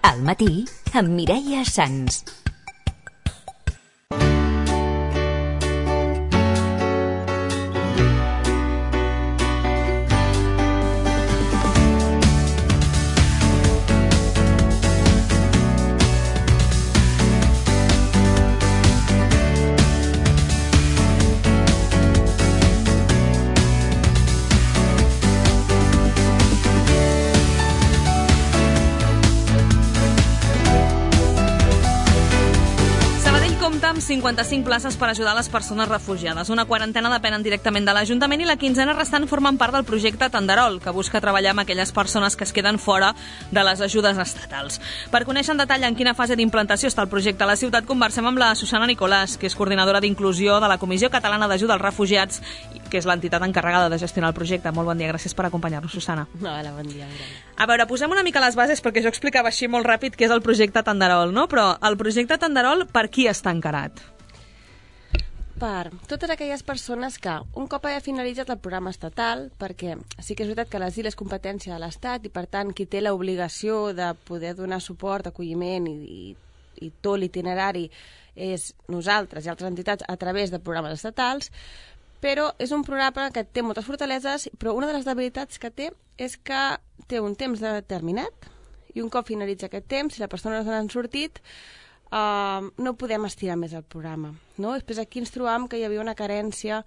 Al matí, amb Mireia Sans. Amb 55 places per ajudar les persones refugiades. Una quarantena depenen directament de l'Ajuntament i la quinzena restant formen part del projecte Tenderol, que busca treballar amb aquelles persones que es queden fora de les ajudes estatals. Per conèixer en detall en quina fase d'implantació està el projecte a la ciutat, conversem amb la Susana Nicolàs, que és coordinadora d'inclusió de la Comissió Catalana d'Ajuda als Refugiats, que és l'entitat encarregada de gestionar el projecte. Molt bon dia, gràcies per acompanyar-nos, Susana. Hola, bon dia, Mireia. A veure, posem una mica les bases, perquè jo explicava així molt ràpid què és el projecte Tenderol, no? Però el projecte Tenderol, per qui està encarat? Per totes aquelles persones que, un cop hagi finalitzat el programa estatal, perquè sí que és veritat que l'asil és competència de l'Estat i, per tant, qui té l'obligació de poder donar suport, acolliment i tot l'itinerari és nosaltres i altres entitats a través de programes estatals, però és un programa que té moltes fortaleses, però una de les debilitats que té és que té un temps determinat i un cop finalitza aquest temps, si la persona no se n'ha sortit, no podem estirar més el programa, no? Després aquí ens trobam que hi havia una carència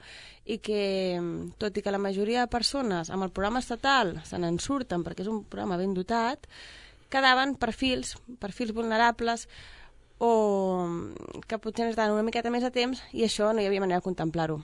i que, tot i que la majoria de persones amb el programa estatal se n'en surten perquè és un programa ben dotat, quedaven perfils vulnerables o que potser necessitaven una miqueta més de temps i això no hi havia manera de contemplar-ho.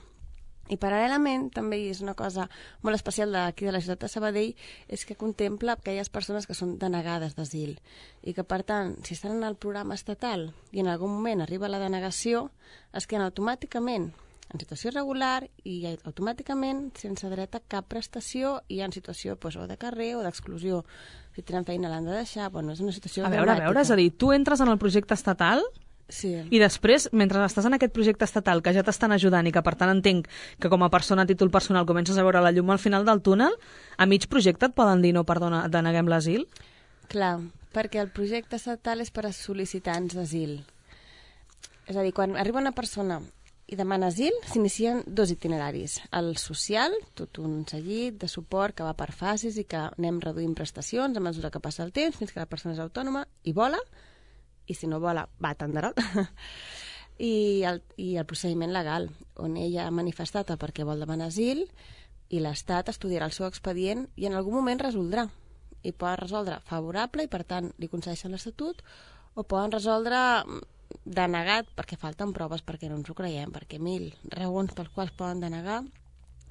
I paral·lelament, també és una cosa molt especial d'aquí de la ciutat de Sabadell, és que contempla aquelles persones que són denegades d'asil i que, per tant, si estan en el programa estatal i en algun moment arriba la denegació, es queden automàticament en situació irregular i automàticament sense dret a cap prestació i en situació o de carrer o d'exclusió. Si tenen feina l'han de deixar, és una situació dramàtica. A veure, és a dir, tu entres en el projecte estatal... Sí. I després, mentre estàs en aquest projecte estatal, que ja t'estan ajudant i que per tant entenc que com a persona a títol personal comences a veure la llum al final del túnel, a mig projecte et poden dir no, perdona, deneguem l'asil? Clar, perquè el projecte estatal és per a sol·licitants d'asil. És a dir, quan arriba una persona i demana asil, s'inicien dos itineraris. El social, tot un seguit de suport que va per fases i que anem reduint prestacions a mesura que passa el temps, fins que la persona és autònoma i vola, i si no vola, va a Tenderol. I el procediment legal, on ella ha manifestat el perquè vol demanar asil i l'Estat estudiarà el seu expedient i en algun moment resoldrà. I poden resoldre favorable i, per tant, li concedeixen l'estatut, o poden resoldre denegat perquè falten proves, perquè no ens ho creiem, perquè 1000 raons pels quals poden denegar.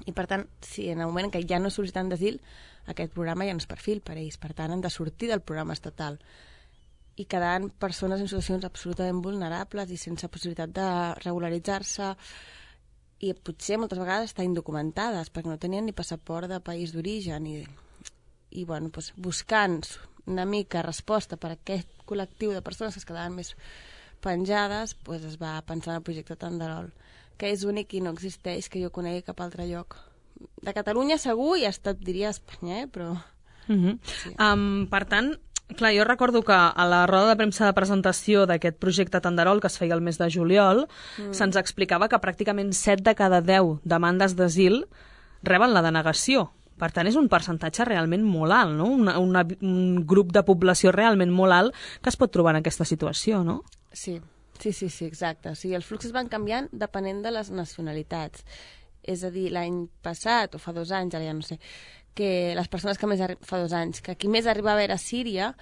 I, per tant, si en el moment en què ja no és sol·licitant d'asil, aquest programa ja no és perfil per ells. Per tant, han de sortir del programa estatal i quedant persones en situacions absolutament vulnerables i sense possibilitat de regularitzar-se i potser moltes vegades estar indocumentades perquè no tenien ni passaport de país d'origen i buscant una mica resposta per a aquest col·lectiu de persones que es quedaven més penjades, es va pensar en el projecte Tenderol, que és únic i no existeix que jo conegui cap altre lloc. De Catalunya segur i hasta diria Espanya, però... Sí. Per tant, clar, jo recordo que a la roda de premsa de presentació d'aquest projecte Tenderol, que es feia el mes de juliol, se'ns explicava que pràcticament 7 de cada 10 demandes d'asil reben la denegació. Per tant, és un percentatge realment molt alt, no? Un grup de població realment molt alt que es pot trobar en aquesta situació, no? Sí, exacte. O sigui, els fluxos van canviant depenent de les nacionalitats. És a dir, l'any passat, o fa 2 anys, ara ja no sé, que les persones que fa 2 anys, que qui més arribava era Síria,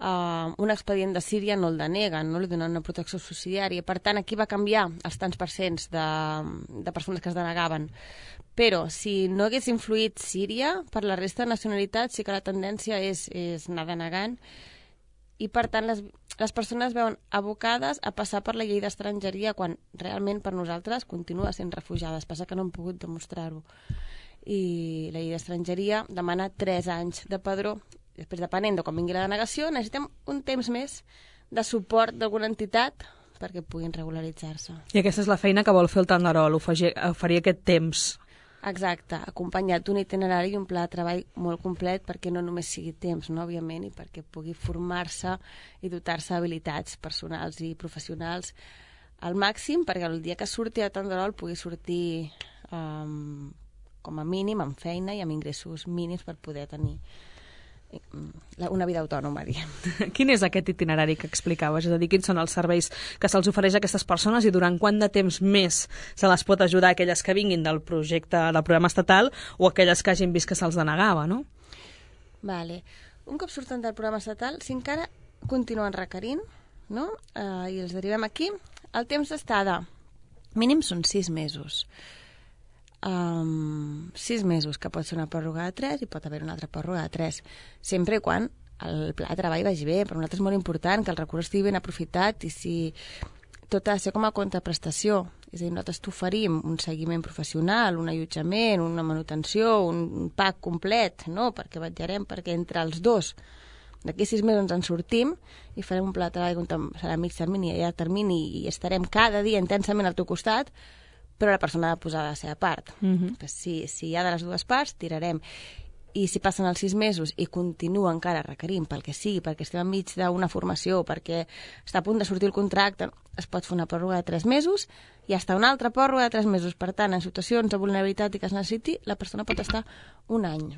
un expedient de Síria no el deneguen, no li donen una protecció subsidiària. Per tant, aquí va canviar els tants percents de persones que es denegaven. Però si no hagués influït Síria, per la resta de nacionalitats sí que la tendència és anar denegant i, per tant, les persones veuen abocades a passar per la llei d'estrangeria quan realment per nosaltres continua sent refugiades. Passa que no hem pogut demostrar-ho. I la llei d'estrangeria demana 3 anys de padró. Després, depenent de quan vingui la denegació, necessitem un temps més de suport d'alguna entitat perquè puguin regularitzar-se. I aquesta és la feina que vol fer el Tenderol, oferir aquest temps. Exacte, acompanyat d'un itinerari i un pla de treball molt complet perquè no només sigui temps, no, òbviament, i perquè pugui formar-se i dotar-se d'habilitats personals i professionals al màxim, perquè el dia que surti a Tanderol pugui sortir com a mínim amb feina i amb ingressos mínims per poder tenir una vida autònoma, diguem. Quin és aquest itinerari que explicaves? És a dir, quins són els serveis que se'ls ofereix a aquestes persones i durant quant de temps més se les pot ajudar a aquelles que vinguin del projecte, del programa estatal, o aquelles que hagin vist que se'ls denegava, no? Vale. Un cop surten del programa estatal, si encara continuen requerint, no? I els derivem aquí, el temps d'estada mínim són 6 mesos. 6 mesos, que pot ser una pròrroga de 3 i pot haver una altra pròrroga de 3, sempre i quan el pla de treball vagi bé. Per nosaltres és molt important que el recurs estigui ben aprofitat i si tot ha de ser com a contraprestació, és a dir, nosaltres t'oferim un seguiment professional, un allotjament, una manutenció, un pack complet, no? Perquè vetllarem perquè entre els dos d'aquí 6 mesos ens en sortim i farem un pla de treball que serà a mig termini i a llarg termini i estarem cada dia intensament al teu costat, però la persona ha de posar la seva part. Si hi ha de les dues parts, tirarem. I si passen els 6 mesos i continua encara requerint pel que sigui, perquè estem enmig d'una formació, perquè està a punt de sortir el contracte, es pot fer una pròrroga de 3 mesos i hasta una altra pròrroga de 3 mesos. Per tant, en situacions de vulnerabilitat i que es necessiti, la persona pot estar un any.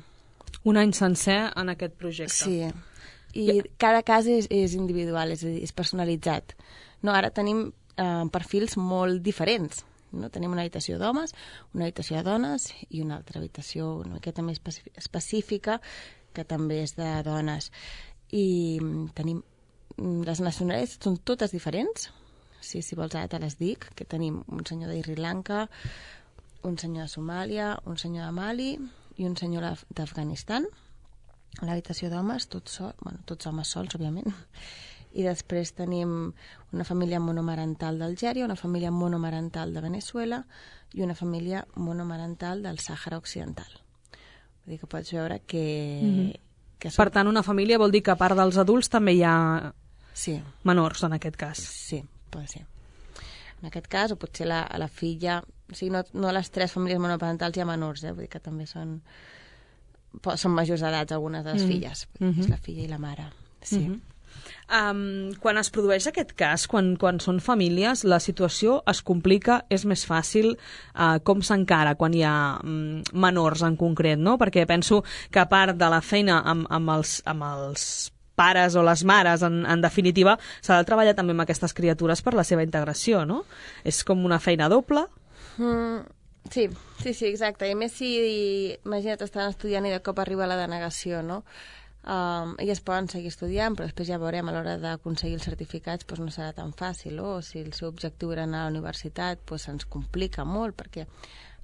Un any sencer en aquest projecte. Sí. I cada cas és individual, és a dir, és personalitzat. No, ara tenim perfils molt diferents. No? Tenim una habitació d'homes, una habitació de dones i una altra habitació una miqueta més específica que també és de dones. I tenim les nacionalitats són totes diferents. Si vols ara te les dic, que tenim un senyor de Sri Lanka, un senyor de Somàlia, un senyor de Mali i un senyor d'Afganistan. A l'habitació d'homes, tots homes sols, òbviament. I després tenim una família monomarental d'Algèria, una família monomarental de Venezuela i una família monomarental del Sàhara Occidental. Vull dir que pots veure que Per tant, una família vol dir que a part dels adults també hi ha menors, en aquest cas. Sí, pot ser. En aquest cas, o potser la filla... O sigui, no a les 3 famílies monoparentals hi ha menors, vull dir que també són majors d'edats algunes de les filles. És la filla i la mare, sí. Quan es produeix aquest cas, quan són famílies, la situació es complica, és més fàcil, com s'encara quan hi ha menors en concret, no? Perquè penso que a part de la feina amb els pares o les mares, en definitiva, s'ha de treballar també amb aquestes criatures per la seva integració, no? És com una feina doble. Sí, exacte. I a més si, imagina't, estan estudiant i de cop arriba la denegació, no? Elles poden seguir estudiant, però després ja veurem a l'hora d'aconseguir els certificats no serà tan fàcil, o si el seu objectiu era anar a la universitat se'ns complica molt, perquè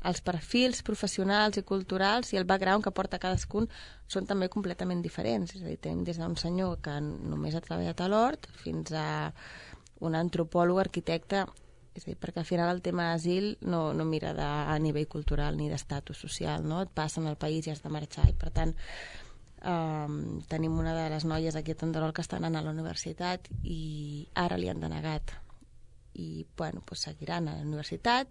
els perfils professionals i culturals i el background que porta cadascun són també completament diferents. És a dir, tenim des d'un senyor que només ha treballat a l'hort fins a un antropòleg, arquitecte, és a dir, perquè al final el tema d'asil no mira a nivell cultural ni d'estatus social, no? Et passa en el país i has de marxar, i per tant tenim una de les noies aquí a Tanderol que està anant a la universitat i ara li han denegat i seguiran a la universitat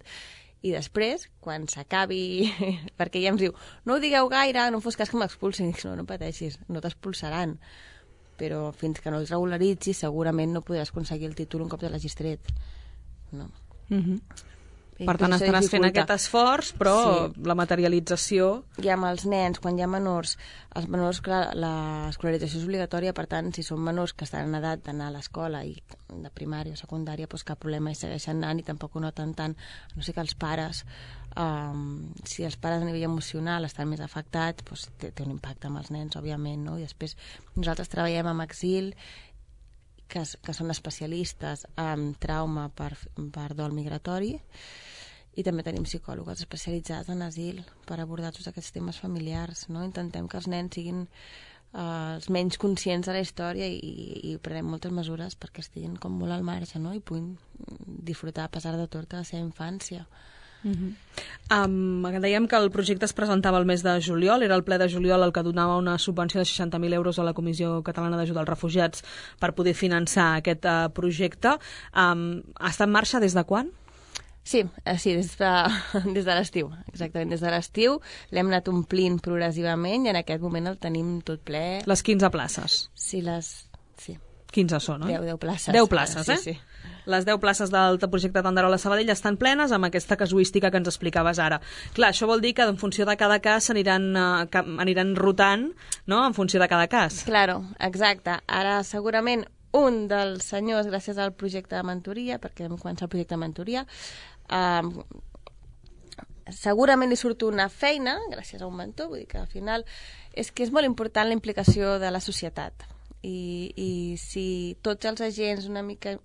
i després, quan s'acabi perquè ja ens diu, no ho digueu gaire, no fos cas que m'expulsin, no pateixis, no t'expulsaran, però fins que no els regularitzis segurament no podràs aconseguir el títol un cop te l'hagis tret, no? Per tant, estaràs fent aquest esforç, però la materialització... I amb els nens, quan hi ha menors, els menors, clar, l'escolarització és obligatòria, per tant, si són menors que estan en edat d'anar a l'escola i de primària o secundària, cap problema, i segueixen anant i tampoc ho noten tant, no sé que els pares, si els pares a nivell emocional estan més afectats, té un impacte amb els nens, òbviament, no? I després nosaltres treballem amb Exil, que són especialistes en trauma per dol migratori, i també tenim psicòlogs especialitzats en asil per abordar tots aquests temes familiars, no? Intentem que els nens siguin els menys conscients de la història i prenem moltes mesures perquè estiguin com molt al marge, no? I puguin disfrutar a pesar de tot de la seva infància. Dèiem que el projecte es presentava el mes de juliol, era el ple de juliol el que donava una subvenció de 60.000 euros a la Comissió Catalana d'Ajuda als Refugiats per poder finançar aquest projecte. Està en marxa des de quan? Sí, des de l'estiu, exactament, des de l'estiu l'hem anat omplint progressivament i en aquest moment el tenim tot ple. Les 15 places. Sí, 15 són, oi? 10 places. 10 places, sí, eh? Sí. Les 10 places del projecte Tenderol a Sabadell estan plenes amb aquesta casuística que ens explicaves ara. Clar, això vol dir que en funció de cada cas aniran rotant, no?, en funció de cada cas. Claro, exacte. Ara segurament un dels senyors, gràcies al projecte de mentoria, perquè vam començar el projecte de mentoria, segurament li surt una feina gràcies a un mentor, vull dir que al final és que és molt important la implicació de la societat i si tots els agents una mica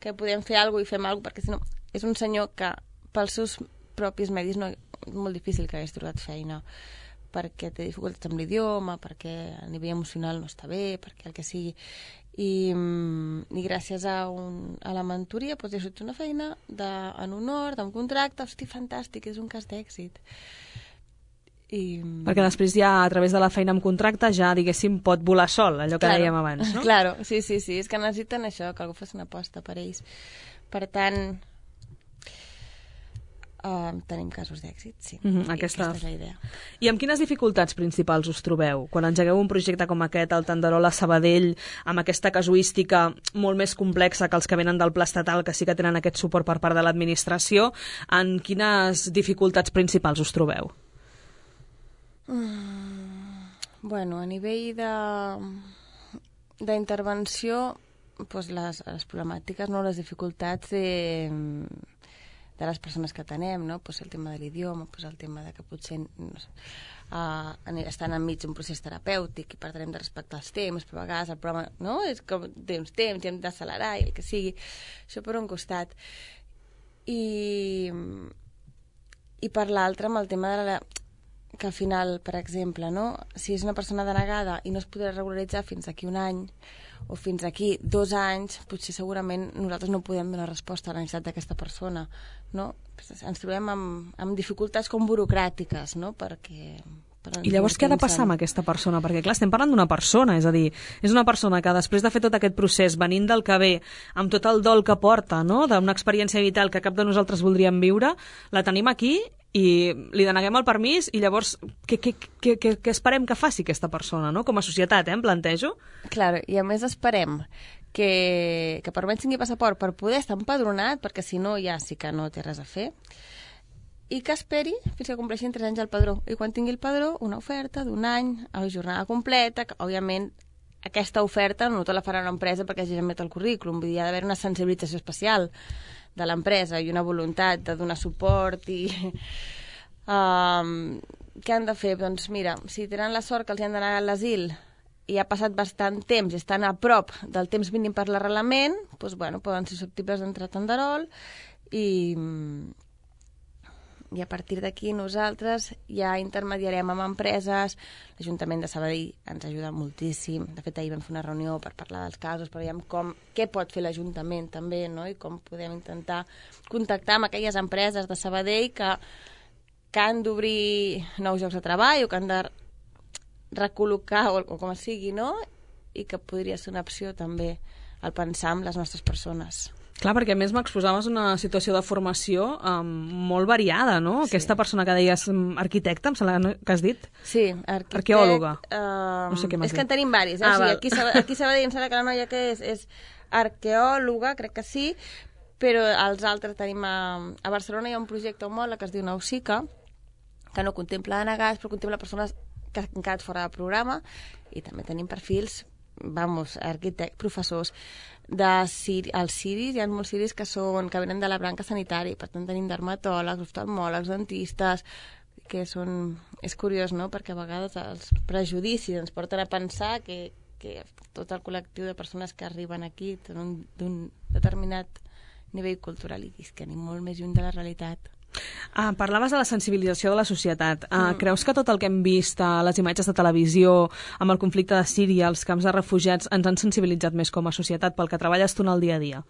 que podem fer alguna cosa i fem alguna cosa, perquè si no és un senyor que pels seus propis medis és molt difícil que hagués trobat feina perquè té dificultats amb l'idioma, perquè a nivell emocional no està bé, perquè el que sigui. I gràcies a la mentoria doncs, he sortit una feina en honor, d'un contracte, hosti, fantàstic, és un cas d'èxit. Perquè després ja a través de la feina amb contracte ja, diguéssim, pot volar sol, allò que dèiem abans, no? Claro, sí, és que necessiten això, que algú faci una aposta per ells. Per tant, tenim casos d'èxit, sí. Aquesta és la idea. I amb quines dificultats principals us trobeu? Quan engegueu un projecte com aquest, el Tenderol a Sabadell, amb aquesta casuística molt més complexa que els que venen del pla estatal, que sí que tenen aquest suport per part de l'administració, en quines dificultats principals us trobeu? Bueno, a nivell d'intervenció, doncs les problemàtiques, no, les dificultats de les persones que atenem, no? Pues el tema de l'idioma, pues el tema de que potser estan enmig d'un procés terapèutic i per tant hem de respectar els temps, però a vegades el programa, no? És com té uns temps i hem d'accelerar i el que sigui. Això per un costat. I per l'altre, amb el tema de que al final, per exemple, no? Si és una persona denegada i no es podrà regularitzar fins aquí un any o fins aquí 2 anys, potser segurament nosaltres no podem donar resposta a la necessitat d'aquesta persona, no? Ens trobem amb dificultats com burocràtiques, no? I llavors què ha de passar amb aquesta persona? Perquè clar, estem parlant d'una persona, és a dir, és una persona que després de fer tot aquest procés, venint del que ve, amb tot el dol que porta, no?, d'una experiència vital que cap de nosaltres voldríem viure, la tenim aquí i li deneguem el permís i llavors què esperem que faci aquesta persona, no? Com a societat, em plantejo. Clar, i a més esperem que per almenys tingui passaport per poder estar empadronat, perquè si no ja sí que no té res a fer, i que esperi fins que compleixin 3 anys al padró. I quan tingui el padró, una oferta d'1 any a jornada completa, que òbviament aquesta oferta no te la farà una empresa perquè hagi met el currículum, vull dir, hi ha d'haver una sensibilització especial de l'empresa i una voluntat de donar suport i... què han de fer? Doncs mira, si tenen la sort que els han d'anar a l'asil i ha passat bastant temps i estan a prop del temps mínim per l'arrelament, doncs, bueno, poden ser susceptibles d'entrar a Tenderol i a partir d'aquí nosaltres ja intermediarem amb empreses. L'Ajuntament de Sabadell ens ajuda moltíssim. De fet, ahir vam fer una reunió per parlar dels casos, però veiem què pot fer l'Ajuntament també, no? I com podem intentar contactar amb aquelles empreses de Sabadell que han d'obrir nous llocs de treball o que han de recol·locar o com sigui, no? I que podria ser una opció també al pensar en les nostres persones. Clar, perquè a més m'exposaves una situació de formació molt variada, no? Sí. Aquesta persona que deies arquitecte, em sembla que has dit? Sí, arqueòloga. No sé què m'has dit. És que en tenim varis. Aquí a Sabadell em sembla que la noia que és arqueòloga, crec que sí, però els altres tenim a Barcelona hi ha un projecte homòleg que es diu Nausica, que no contempla denegats, però contempla persones que han quedat fora del programa, i també tenim perfils, arquitectes, professors, els ciris, hi ha molts ciris que venen de la branca sanitària, per tant tenim dermatòlegs, oftalmòlegs, dentistes, que és curiós, no?, perquè a vegades els prejudicis ens porten a pensar que tot el col·lectiu de persones que arriben aquí d'un determinat nivell cultural i que anem molt més lluny de la realitat. Parlaves de la sensibilització de la societat. Creus que tot el que hem vist a les imatges de televisió amb el conflicte de Síria, els camps de refugiats, ens han sensibilitzat més com a societat pel que treballes tu en el dia a dia?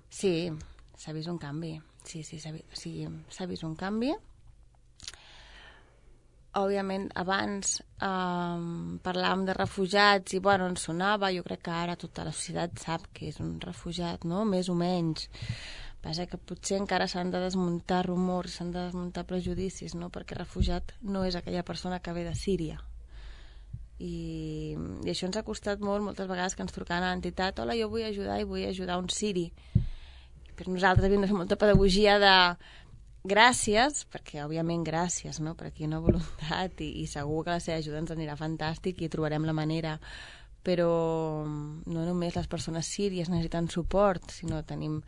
Sí, s'ha vist un canvi. Sí, s'ha vist un canvi. Òbviament, abans parlàvem de refugiats i, bueno, ens sonava. Jo crec que ara tota la societat sap que és un refugiat, no?, més o menys. Passa que potser encara s'han de desmuntar rumors, s'han de desmuntar prejudicis, no? Perquè refugiat no és aquella persona que ve de Síria. I això ens ha costat molt, moltes vegades que ens trucaven a l'entitat, hola, jo vull ajudar i vull ajudar un siri. Per nosaltres havíem de fer molta pedagogia de gràcies, perquè òbviament gràcies, no? Per aquí una voluntat i segur que la seva ajuda ens anirà fantàstic i trobarem la manera. Però no només les persones síries necessiten suport, sinó tenim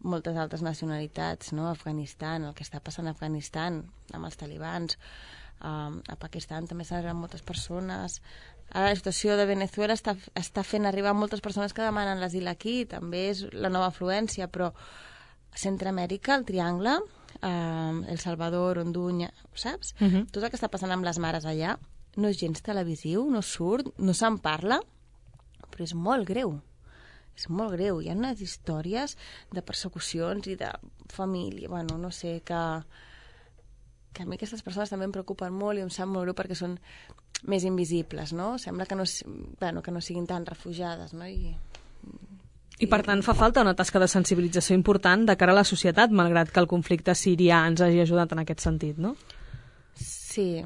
moltes altres nacionalitats, no? Afganistan, el que està passant a Afganistan amb els talibans, a Pakistan també s'han arribat moltes persones. Ara la situació de Venezuela està fent arribar moltes persones que demanen l'asil aquí, també és la nova afluència, però Centroamèrica, el Triangle, El Salvador, Hondunya, saps? Tot el que està passant amb les mares allà no és gens televisiu, no surt, no se'n parla, però és molt greu. És molt greu. Hi ha unes històries de persecucions i de família, bueno, no sé, que a mi aquestes persones també em preocupen molt i em sap molt greu perquè són més invisibles, no? Sembla que no siguin tan refugiades, no? I per tant fa falta una tasca de sensibilització important de cara a la societat, malgrat que el conflicte sirià ens hagi ajudat en aquest sentit, no? Sí,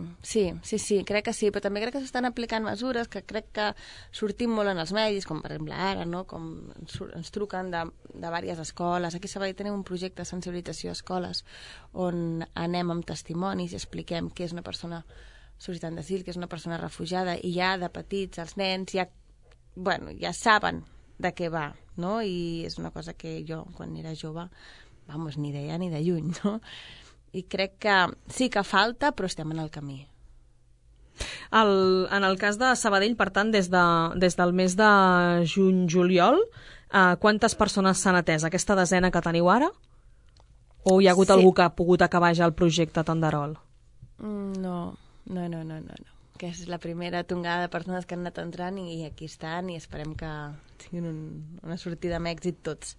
crec que sí, però també crec que s'estan aplicant mesures que crec que sortim molt en els medis, com per exemple ara, no? Com ens truquen de diverses escoles. Aquí a Sabadell tenim un projecte de sensibilització a escoles on anem amb testimonis i expliquem què és una persona sol·licitant d'asil, què és una persona refugiada, i ja de petits els nens ja saben de què va, no? I és una cosa que jo, quan era jove, ni deia ni de lluny, no? I crec que sí que falta, però estem en el camí. En el cas de Sabadell, per tant, des del mes de juny-juliol, quantes persones s'han atès? Aquesta desena que teniu ara? O hi ha hagut algú que ha pogut acabar ja el projecte Tenderol? No. Que és la primera tongada de persones que han anat entrant i aquí estan i esperem que tinguin una sortida amb èxit tots.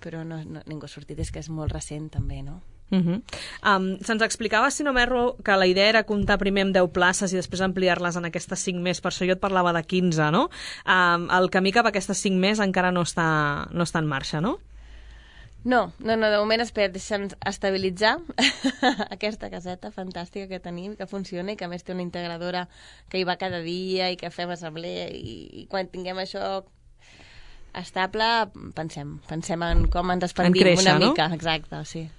Però ningú ha sortit, és que és molt recent també, no? Se'ns explicava, si no m'erro, que la idea era comptar primer amb 10 places i després ampliar-les en aquestes 5 més, per això jo et parlava de 15, no? El camí cap a aquestes 5 més encara no està en marxa, no? No, de moment deixa'ns estabilitzar aquesta caseta fantàstica que tenim, que funciona i que a més té una integradora que hi va cada dia i que fem assemblea i quan tinguem això estable pensem en com ens expandim una mica, no? Exacte, sí.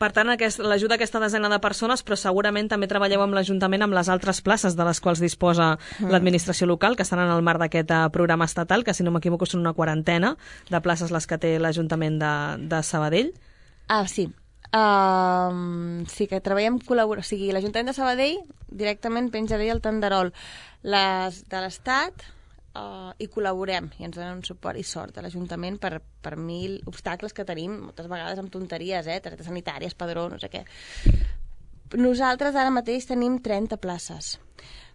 Per tant, l'ajuda a aquesta desena de persones, però segurament també treballeu amb l'Ajuntament amb les altres places de les quals disposa l'administració local, que estan en el marc d'aquest programa estatal, que si no m'equivoco són una 40 de places les que té l'Ajuntament de Sabadell. Sí. Sí que treballem col·laboració. O sigui, l'Ajuntament de Sabadell directament penja d'ell el Tenderol. Les de l'Estat i col·laborem i ens donen un suport i sort a l'Ajuntament per 1000 obstacles que tenim moltes vegades amb tonteries, targetes sanitàries, padró, no sé què. Nosaltres ara mateix tenim 30 places,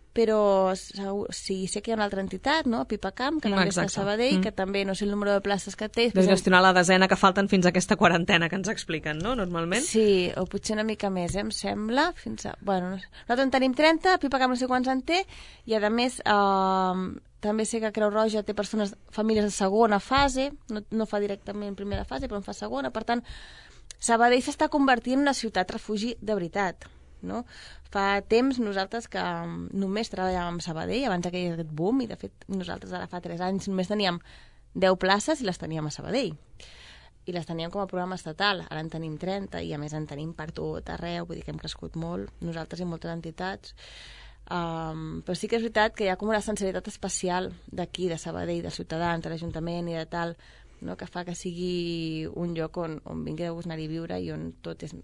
però sí, sé que hi ha una altra entitat, no? Pipacamp, que també està a Sabadell, que també no sé el número de places que té. De gestionar la desena que falten fins a aquesta 40 que ens expliquen, no? Normalment. Sí, o potser una mica més, em sembla. Nosaltres en tenim 30, Pipacamp no sé quants en té, i a més també sé que Creu Roja té famílies de segona fase, no fa directament primera fase, però en fa segona. Per tant, Sabadell s'està convertint en una ciutat refugi de veritat, no? Fa temps nosaltres que només treballàvem amb Sabadell, abans que hi hagués aquest boom, i de fet nosaltres ara fa 3 anys només teníem 10 places i les teníem a Sabadell. I les teníem com a programa estatal, ara en tenim 30 i a més en tenim per tot arreu, vull dir que hem crescut molt, nosaltres i moltes entitats. Però sí que és veritat que hi ha com una sensibilitat especial d'aquí, de Sabadell, de Ciutadans, de l'Ajuntament i de tal, no? Que fa que sigui un lloc on vingui de gust anar-hi a viure i on tot és...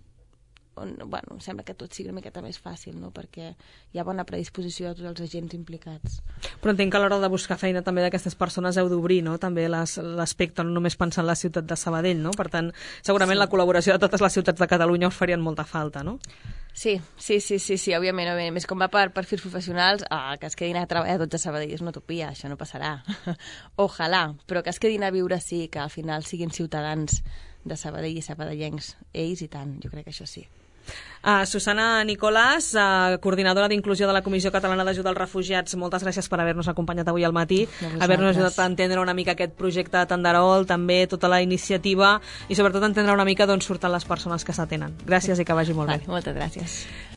sembla que tot sigui una miqueta més fàcil, no? Perquè hi ha bona predisposició de tots els agents implicats. Però entenc que a l'hora de buscar feina també d'aquestes persones heu d'obrir, no? També l'aspecte, no només pensar en la ciutat de Sabadell, no? Per tant, segurament la col·laboració de totes les ciutats de Catalunya us farien molta falta, no? Sí, òbviament. Més com va per perfils professionals, que es quedin a treballar tots a Sabadell és una utopia, això no passarà. Ojalà, però que es quedin a viure sí, que al final siguin ciutadans de Sabadell i sabadellencs, ells i tant, jo crec que això sí. Susana Nicolàs, coordinadora d'inclusió de la Comissió Catalana d'Ajuda als Refugiats, moltes gràcies per haver-nos acompanyat avui al matí, haver-nos ajudat a entendre una mica aquest projecte de Tenderol, també tota la iniciativa i sobretot entendre una mica d'on surten les persones que s'atenen. Gràcies i que vagi molt bé. Moltes gràcies.